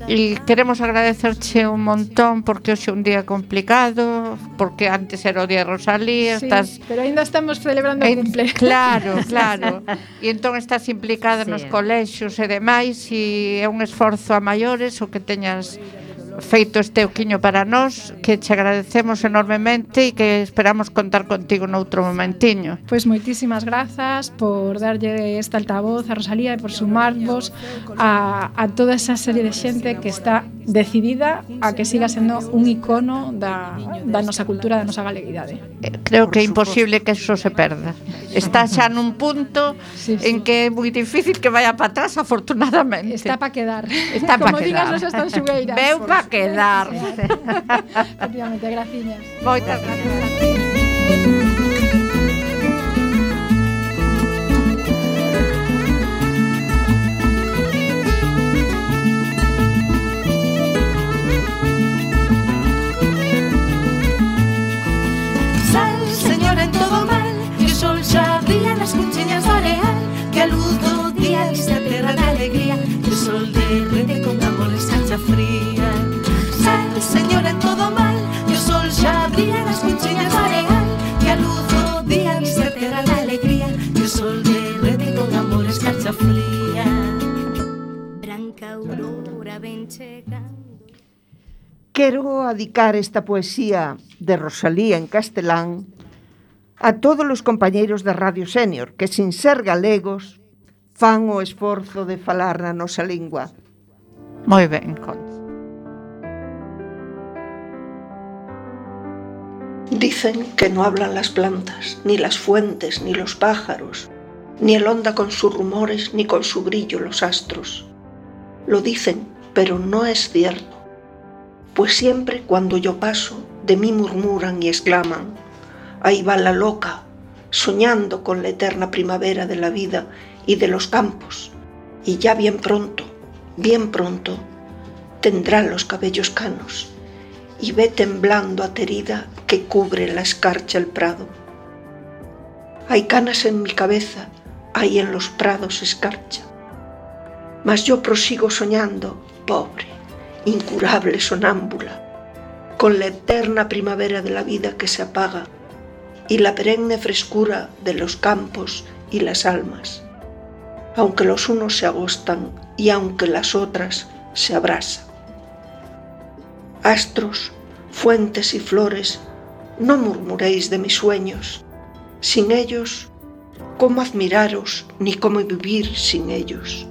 e queremos agradecerche un montón porque hoxe é un día complicado, porque antes era o día de Rosalía, sí, estás... pero ainda estamos celebrando o cumple. Claro, claro, e entón estás implicada Sí. nos colexios e demais, e é un esforzo a maiores o que teñas feito este oquiño para nós, que che agradecemos enormemente e que esperamos contar contigo noutro momentiño. Pois moitísimas grazas por darlle esta altavoz a Rosalía e por sumarvos a, a toda esa serie de xente que está decidida a que siga sendo un icono da, da nosa cultura, da nosa galeguidade. Creo que é imposible que eso se perda. Está xa nun punto sí, sí. en que é moi difícil que vaya para atrás, afortunadamente. Está para quedar. Está para Como quedar. digas nos están xugueiras. Veu para quedar. Efectivamente, graciñas. Moitas gracias. Sal, señora, en todo mal, que o sol xa brilla nas cuchiñas do areal, que a luz do día viste a terra de alegría, que o sol derrete con amor escarcha fría. Sal, señora, en todo mal, que o sol xa brilla nas cuchiñas do areal, que a luz do día viste a terra de alegría, que o sol derrete con amor escarcha fría. Branca aurora ven chegando. Quero adicar esta poesía de Rosalía en castelán a todos os compañeiros da Radio Senior que, sin ser galegos, fan o esforzo de falar na nosa lingua. Moi ben, Concha. Dicen que no hablan las plantas, ni las fuentes, ni los pájaros, ni el onda con sus rumores, ni con su brillo los astros. Lo dicen, pero no es cierto, pues siempre cuando yo paso, de mí murmuran y exclaman: ahí va la loca, soñando con la eterna primavera de la vida y de los campos, y ya bien pronto, bien pronto, tendrá los cabellos canos, y ve temblando aterida que cubre la escarcha el prado. Hay canas en mi cabeza, hay en los prados escarcha, mas yo prosigo soñando, pobre, incurable sonámbula, con la eterna primavera de la vida que se apaga y la perenne frescura de los campos y las almas, aunque los unos se agostan y aunque las otras se abrasan. Astros, fuentes y flores, no murmuréis de mis sueños. Sin ellos, ¿cómo admiraros ni cómo vivir sin ellos?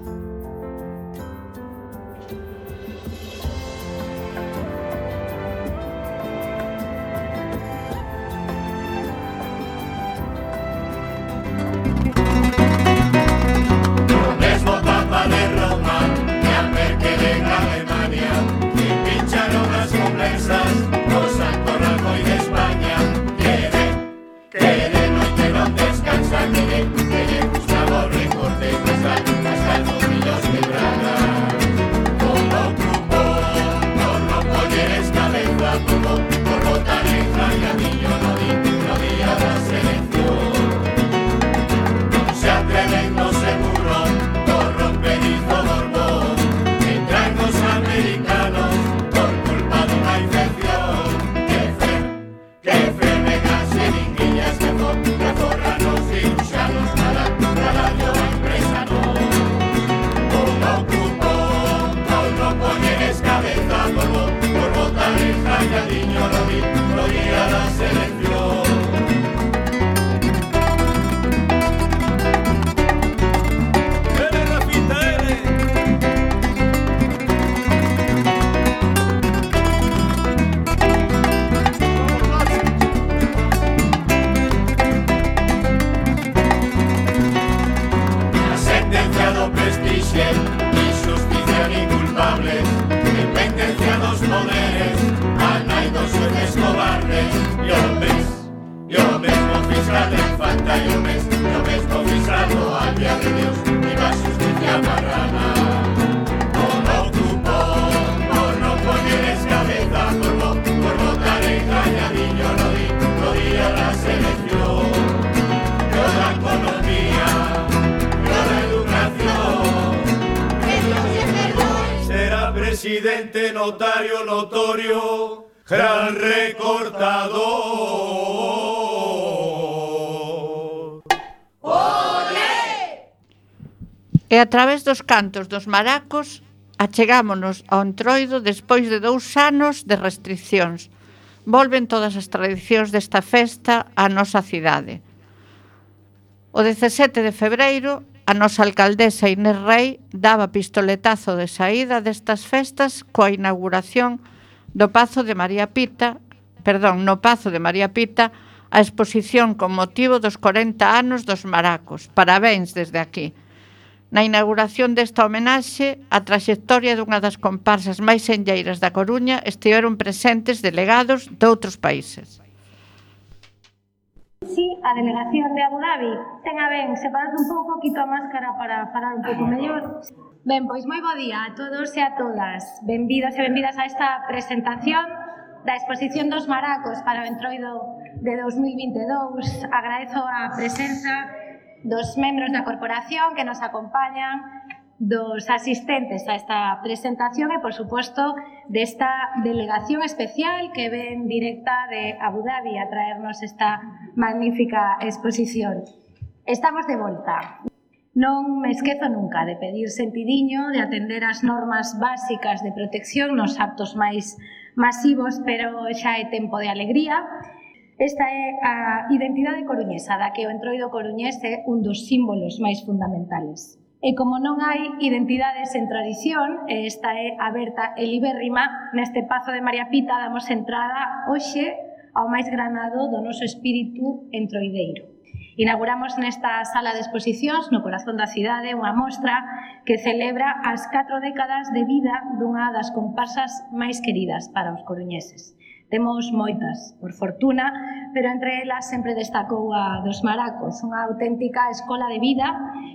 Descansa, que le gusta, borre, corte, hasta el presidente, notario, notorio, gran recortador. ¡Olé! E a través dos cantos dos maracos achegámonos ao Entroido despois de dous anos de restriccións. Volven todas as tradicións desta festa á nosa cidade. O dezasete de febreiro, a nosa alcaldesa Inés Rei daba pistoletazo de saída destas festas coa inauguración do Pazo de María Pita, perdón, no Pazo de María Pita, a exposición con motivo dos corenta anos dos maracos. Parabéns desde aquí. Na inauguración desta homenaxe, a traxectoria dunha das comparsas máis enlleiras da Coruña estiveron presentes delegados de outros países. Sí, a delegación de Abu Dhabi ten a ben separarse un pouco, quito a máscara para falar un pouco mellor. Ben, pois moi bo día a todos e a todas. Benvidos e benvidas a esta presentación da exposición dos maracos para o Entroido de dos mil vinte e dous. Agradezo a presenza dos membros da corporación que nos acompañan, dos asistentes a esta presentación e, por suposto, desta delegación especial que ven directa de Abu Dhabi a traernos esta magnífica exposición. Estamos de volta. Non me esquezo nunca de pedir sentidiño, de atender as normas básicas de protección nos actos máis masivos, pero xa é tempo de alegría. Esta é a identidade coruñesa, da que o Entroido coruñés é un dos símbolos máis fundamentales. E como non hai identidade sen tradición, e esta é aberta e libérrima, neste Pazo de María Pita damos entrada hoxe ao máis granado do noso espírito entroideiro. Inauguramos nesta sala de exposicións, no corazón da cidade, unha mostra que celebra as catro décadas de vida dunha das comparsas máis queridas para os coruñeses. Temos moitas, por fortuna, pero entre elas sempre destacou a dos maracos, unha auténtica escola de vida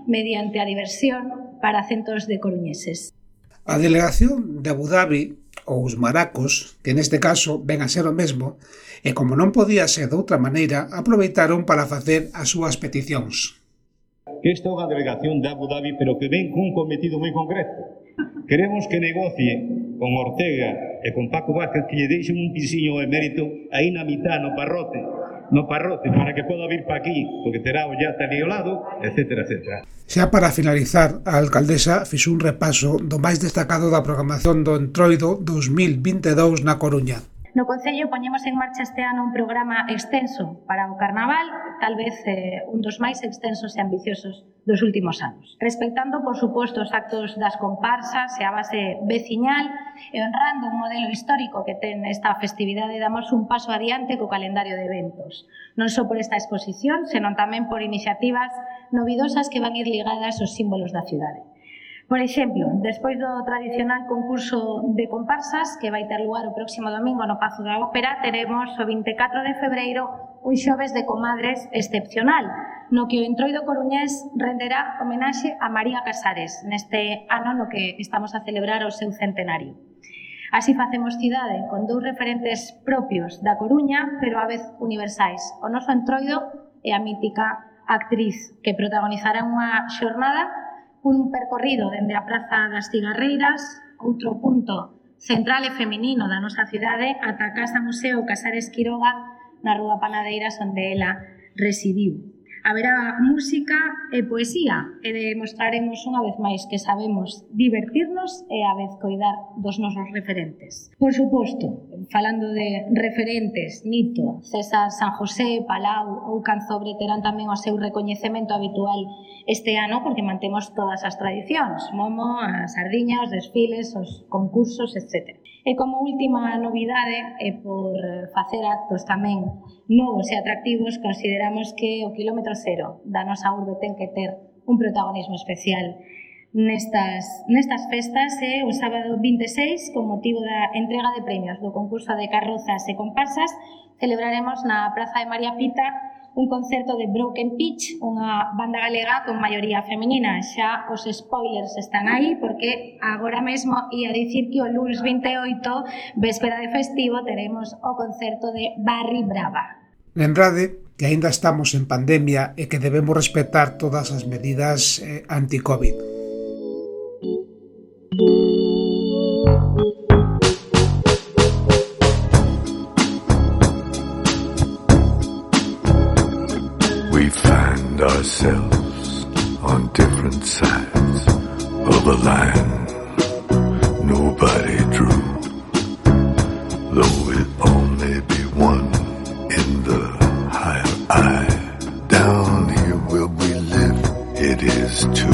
mediante a diversión para centos de coruñeses. A delegación de Abu Dhabi, ou os maracos, que neste caso ven a ser o mesmo, e como non podía ser de outra maneira, aproveitaron para facer as súas peticións. Esta é unha delegación de Abu Dhabi, pero que ven cun cometido moi concreto. Queremos que negocie con Ortega e con Paco Vázquez que lle deixen un pisiño emérito aí na mitad, no parrote, no parrote, para que poda vir pa aquí, porque terá o yate ali ao lado, etcétera, etcétera. Xa para finalizar, a alcaldesa fixo un repaso do máis destacado da programación do Entroido dos mil vinte e dous na Coruña. No Concello poñemos en marcha este ano un programa extenso para o Carnaval, tal vez eh, un dos máis extensos e ambiciosos dos últimos anos. Respectando, por suposto, os actos das comparsas e a base veciñal e honrando un modelo histórico que ten esta festividade, damos un paso adiante co calendario de eventos. Non só por esta exposición, senón tamén por iniciativas novidosas que van ir ligadas aos símbolos da cidade. Por exemplo, despois do tradicional concurso de comparsas que vai ter lugar o próximo domingo no Pazo da Ópera, teremos o vinte e catro de febreiro un xoves de comadres excepcional, no que o Entroido coruñés renderá homenaxe a María Casares neste ano no que estamos a celebrar o seu centenario. Así facemos cidade con dous referentes propios da Coruña, pero a vez universais. O noso Entroido e a mítica actriz que protagonizará unha xornada, un percorrido dende a Praza das Cigarreiras, outro punto central e feminino da nosa cidade, ata a Casa Museo Casares Quiroga, na Rúa Panadeiras, onde ela residiu. Haberá música e poesía e demostraremos unha vez máis que sabemos divertirnos e a vez coidar dos nosos referentes. Por suposto, falando de referentes, Nito, César San José, Palau ou Canzobre terán tamén o seu recoñecemento habitual este ano porque mantemos todas as tradicións, Momo, a sardiña, os desfiles, os concursos, etcétera. E como última novidade, e por facer actos tamén novos e atractivos, consideramos que o quilómetro cero da nosa urbe ten que ter un protagonismo especial nestas, nestas festas e o sábado vinte e seis, con motivo da entrega de premios do concurso de carrozas e comparsas, celebraremos na Praza de María Pita un concerto de Broken Pitch, unha banda galega con maioría feminina. Xa os spoilers están aí, porque agora mesmo ia dicir que o luns vinte e oito, véspera de festivo, teremos o concerto de Barri Brava. Lembrade que aínda estamos en pandemia e que debemos respetar todas as medidas eh, anti-COVID. on different sides of a line nobody drew. Though it all may be one in the higher eye, down here where we live, it is two.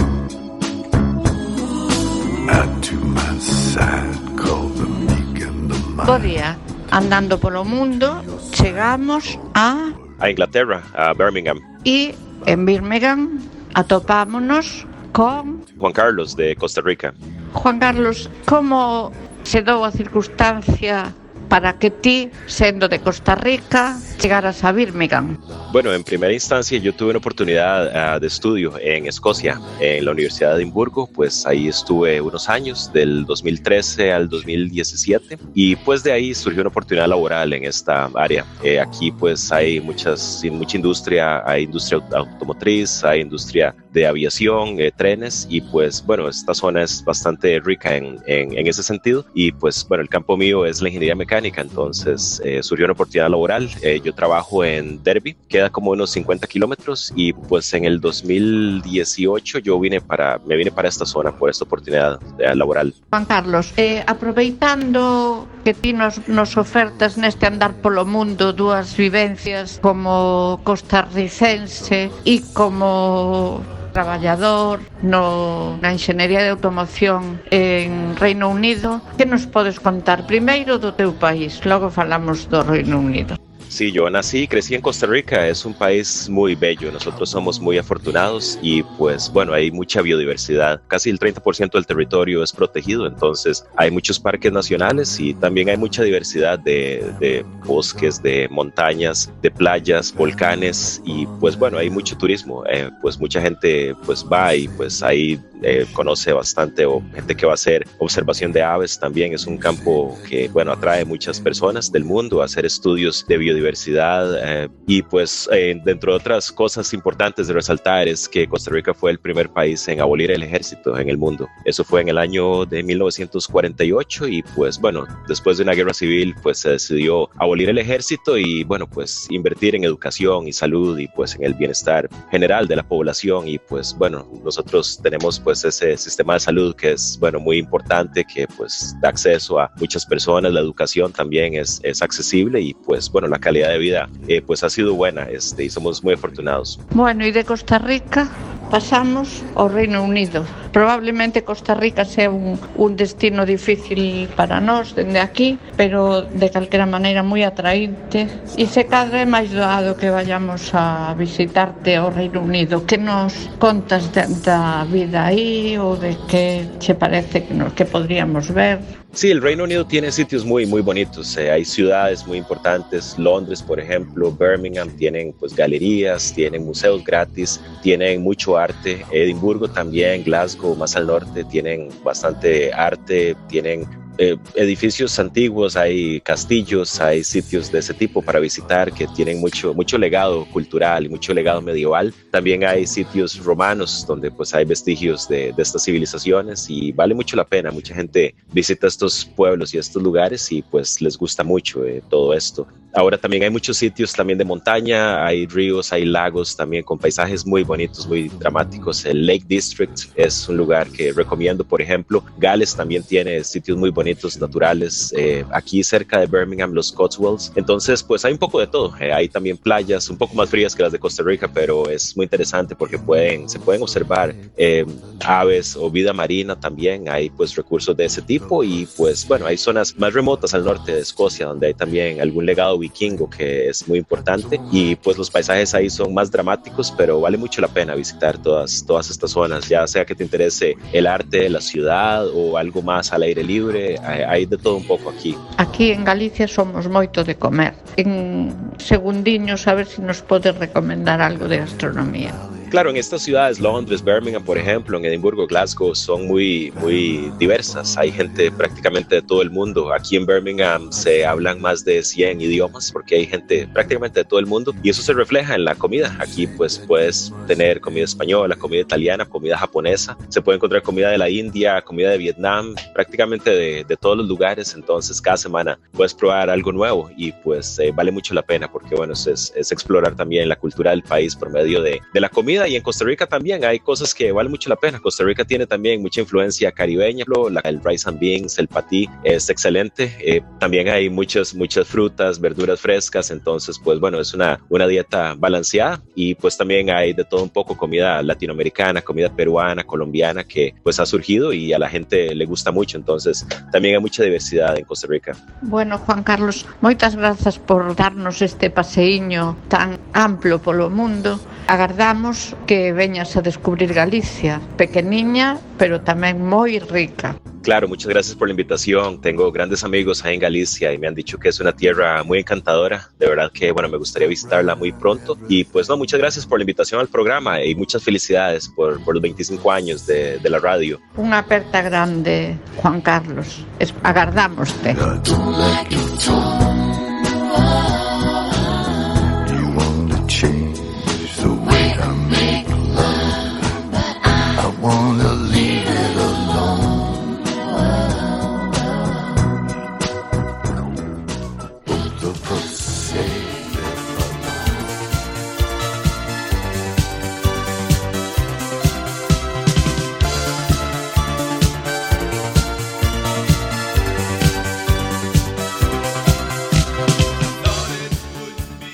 Add to my side, call the meek and the mild. Bo día, andando polo mundo, chegamos a... A Inglaterra, a Birmingham. E en Birmingham atopámonos con... Juan Carlos, de Costa Rica. Juan Carlos, como se dou a circunstancia para que ti, sendo de Costa Rica, llegaras a Birmingham? Bueno, en primera instancia yo tuve una oportunidad uh, de estudio en Escocia, en la Universidad de Edimburgo. Pues ahí estuve unos años, del dos mil trece al dos mil diecisiete, y pues de ahí surgió una oportunidad laboral en esta área. Eh, aquí pues hay muchas, mucha industria, hay industria automotriz, hay industria de aviación, eh, trenes, y pues bueno, esta zona es bastante rica en, en, en ese sentido. Y pues bueno, el campo mío es la ingeniería mecánica, entonces eh, surgió una oportunidad laboral. Eh, yo trabajo en Derby, queda como unos cincuenta kilómetros, y pues en el dos mil dieciocho yo vine para, me vine para esta zona por esta oportunidad eh, laboral. Juan Carlos, eh, aproveitando que ti nos, nos ofertas neste andar polo mundo dúas vivencias como costarricense e como traballador no, na enxeñería de automoción en Reino Unido, que nos podes contar primeiro do teu país, logo falamos do Reino Unido? Sí, yo nací y crecí en Costa Rica, es un país muy bello, nosotros somos muy afortunados y pues bueno, hay mucha biodiversidad, casi el treinta por ciento del territorio es protegido, entonces hay muchos parques nacionales y también hay mucha diversidad de, de bosques, de montañas, de playas, volcanes, y pues bueno, hay mucho turismo, eh, pues mucha gente pues va y pues ahí eh, conoce bastante, o gente que va a hacer observación de aves también. Es un campo que bueno, atrae muchas personas del mundo a hacer estudios de biodiversidad. Diversidad eh, y pues eh, dentro de otras cosas importantes de resaltar es que Costa Rica fue el primer país en abolir el ejército en el mundo. Eso fue en el año de mil novecientos cuarenta y ocho, y pues bueno, después de una guerra civil pues se decidió abolir el ejército y bueno, pues invertir en educación y salud y pues en el bienestar general de la población. Y pues bueno, nosotros tenemos pues ese sistema de salud que es bueno, muy importante, que pues da acceso a muchas personas. La educación también es, es accesible y pues bueno, la calidad de vida eh, pues ha sido buena, este, y somos muy afortunados. Bueno, e de Costa Rica pasamos ao Reino Unido. Probablemente Costa Rica sea un, un destino difícil para nós dende aquí, pero de calquera maneira moi atraínte, e se cadra é máis doado que vayamos a visitarte ao Reino Unido. Que nos contas de, da vida aí, ou de que che parece que, nos, que podríamos ver? Sí, el Reino Unido tiene sitios muy, muy bonitos. Eh, hay ciudades muy importantes. Londres, por ejemplo, Birmingham, tienen pues galerías, tienen museos gratis, tienen mucho arte. Edimburgo también, Glasgow, más al norte, tienen bastante arte, tienen Eh, edificios antiguos, hay castillos, hay sitios de ese tipo para visitar que tienen mucho, mucho legado cultural y mucho legado medieval. También hay sitios romanos donde pues hay vestigios de, de estas civilizaciones y vale mucho la pena. Mucha gente visita estos pueblos y estos lugares y pues les gusta mucho eh, todo esto. Ahora también hay muchos sitios también de montaña, hay ríos, hay lagos también con paisajes muy bonitos, muy dramáticos. El Lake District es un lugar que recomiendo, por ejemplo. Gales también tiene sitios muy bonitos naturales, eh, aquí cerca de Birmingham, los Cotswolds. Entonces pues hay un poco de todo. Eh, hay también playas un poco más frías que las de Costa Rica, pero es muy interesante porque pueden, se pueden observar eh, aves o vida marina también. Hay pues recursos de ese tipo y pues bueno, hay zonas más remotas al norte de Escocia donde hay también algún legado vikingo que es muy importante, y pues los paisajes ahí son más dramáticos, pero vale mucho la pena visitar todas, todas estas zonas, ya sea que te interese el arte de la ciudad o algo más al aire libre. Hay de todo un pouco aquí. Aquí en Galicia somos moito de comer. En segundiños, a ver se si nos podes recomendar algo de gastronomía. Claro, en estas ciudades, Londres, Birmingham, por ejemplo, en Edimburgo, Glasgow, son muy, muy diversas. Hay gente prácticamente de todo el mundo. Aquí en Birmingham se hablan más de cien idiomas porque hay gente prácticamente de todo el mundo y eso se refleja en la comida. Aquí pues puedes tener comida española, comida italiana, comida japonesa. Se puede encontrar comida de la India, comida de Vietnam, prácticamente de, de todos los lugares. Entonces cada semana puedes probar algo nuevo y pues eh, vale mucho la pena porque bueno, es, es explorar también la cultura del país por medio de, de la comida. comida, y en Costa Rica también hay cosas que valen mucho la pena. Costa Rica tiene también mucha influencia caribeña, la, el rice and beans, el patí es excelente. Eh, también hay muchas, muchas frutas, verduras frescas, entonces pues bueno, es una, una dieta balanceada, y pues también hay de todo un poco, comida latinoamericana, comida peruana, colombiana, que pues ha surgido y a la gente le gusta mucho, entonces también hay mucha diversidad en Costa Rica. Bueno, Juan Carlos, moitas grazas por darnos este paseiño tan amplo polo mundo. Agardamos que veñas a descubrir Galicia, pequeniña, pero tamén moi rica. Claro, muchas gracias por la invitación. Tengo grandes amigos ahí en Galicia y me han dicho que es una tierra muy encantadora. De verdad que, bueno, me gustaría visitarla muy pronto. Y pues no, muchas gracias por la invitación al programa y muchas felicidades por, por los veinticinco años de, de la radio. Unha aperta grande, Juan Carlos. Es, agardámoste.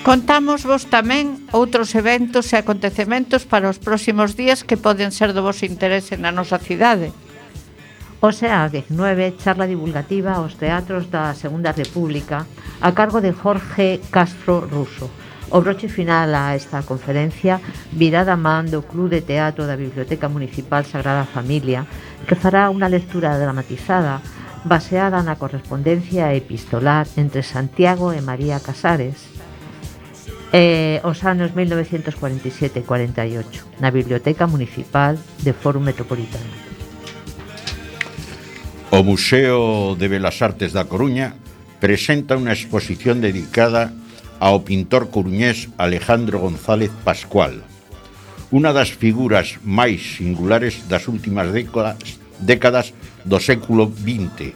Contamos vos tamén outros eventos e acontecementos para os próximos días que poden ser do vosso interese na nosa cidade. O sea, diecinueve, charla divulgativa aos teatros da Segunda República a cargo de Jorge Castro Russo. O broche final a esta conferencia virá da man do Club de Teatro da Biblioteca Municipal Sagrada Familia, que fará unha lectura dramatizada baseada na correspondencia epistolar entre Santiago e María Casares, Eh, os anos mil novecientos cuarenta e sete e cuarenta e ocho na Biblioteca Municipal de Fórum Metropolitano. O Museo de Belas Artes da Coruña presenta unha exposición dedicada ao pintor coruñés Alejandro González Pascual, unha das figuras máis singulares das últimas décadas, décadas do século vinte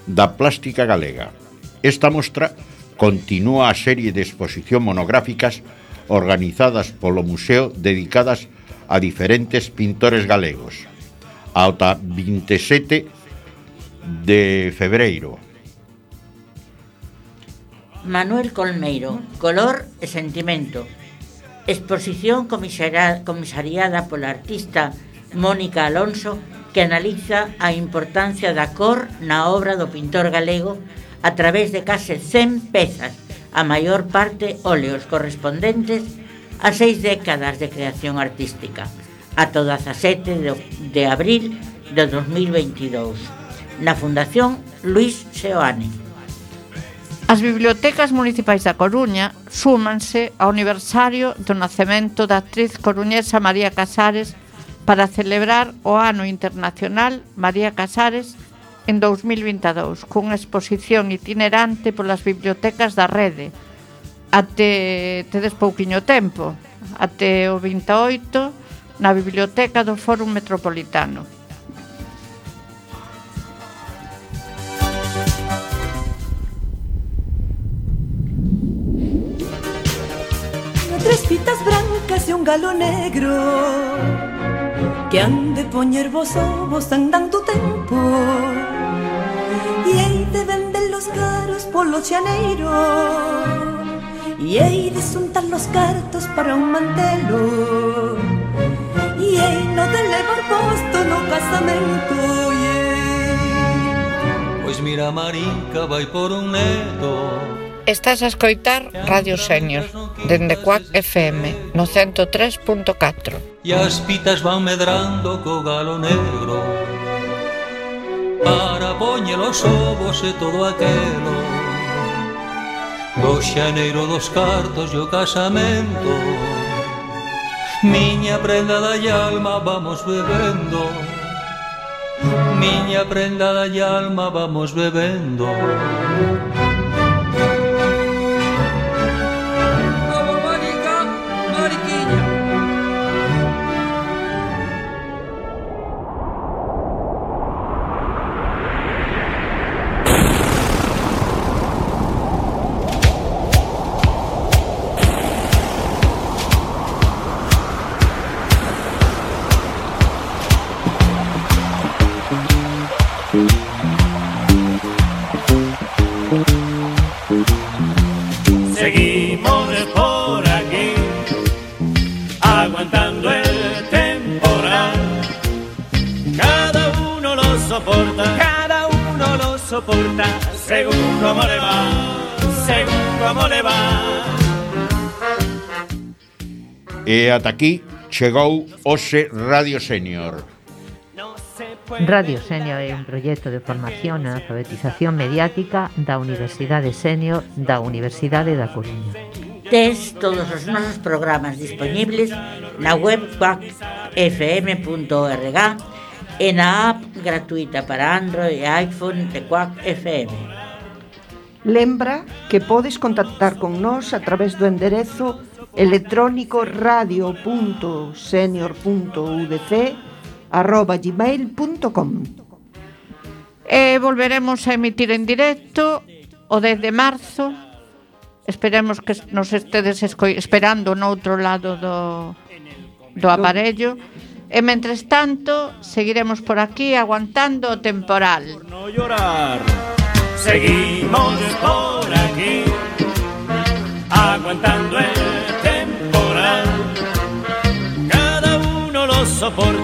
da plástica galega. Esta mostra continúa a serie de exposición monográficas organizadas polo Museo dedicadas a diferentes pintores galegos ata vinte e sete de febreiro. Manuel Colmeiro, Color e Sentimento. Exposición comisariada, comisariada pola artista Mónica Alonso, que analiza a importancia da cor na obra do pintor galego a través de case cen pezas, a maior parte óleos correspondentes a seis décadas de creación artística, ata o dezasete de abril de dos mil veintidous, na Fundación Luis Seoane. As bibliotecas municipais da Coruña súmanse ao aniversario do nacemento da actriz coruñesa María Casares para celebrar o Ano Internacional María Casares en dous mil vinte e dous, cunha exposición itinerante polas bibliotecas da rede até tedes pouquiño tempo, até o vinte e oito na Biblioteca do Fórum Metropolitano. Tres fitas brancas e un galo negro que han de poñer vos ovos andando tempo e hei de vender los caros polo xaneiro e hei de xuntar los cartos para un mantelo e hei no de levar posto no casamento yeah. Pois mira, Marica vai por un neto. Estás a escoitar Radio Senior dende Cuac F M no ciento tres punto catro. E as pitas van medrando co galo negro para poñer os ovos e todo aquelo do xaneiro dos cartos e o casamento. Miña prenda da alma vamos bebendo, miña prenda da alma vamos bebendo. soporta, cada uno lo soporta, según como le va, según como le va. E ata aquí chegou hoxe Radio Senior. Radio Senior é un proxecto de formación e alfabetización mediática da Universidade Senior da Universidade da Coruña. Tes todos os nosos programas disponibles na web quack f m punto org e na app gratuita para Android e iPhone de Quack F M. Lembra que podes contactar con nós a través do enderezo electrónico radio punto senior punto u d c arroba gmail punto com. E volveremos a emitir en directo o dez de marzo. Esperemos que nos estedes esco- esperando no outro lado do, do aparello. E mentres tanto, seguiremos por aquí aguantando o temporal. Por no llorar, seguimos por aquí aguantando el temporal. Cada uno lo soporta.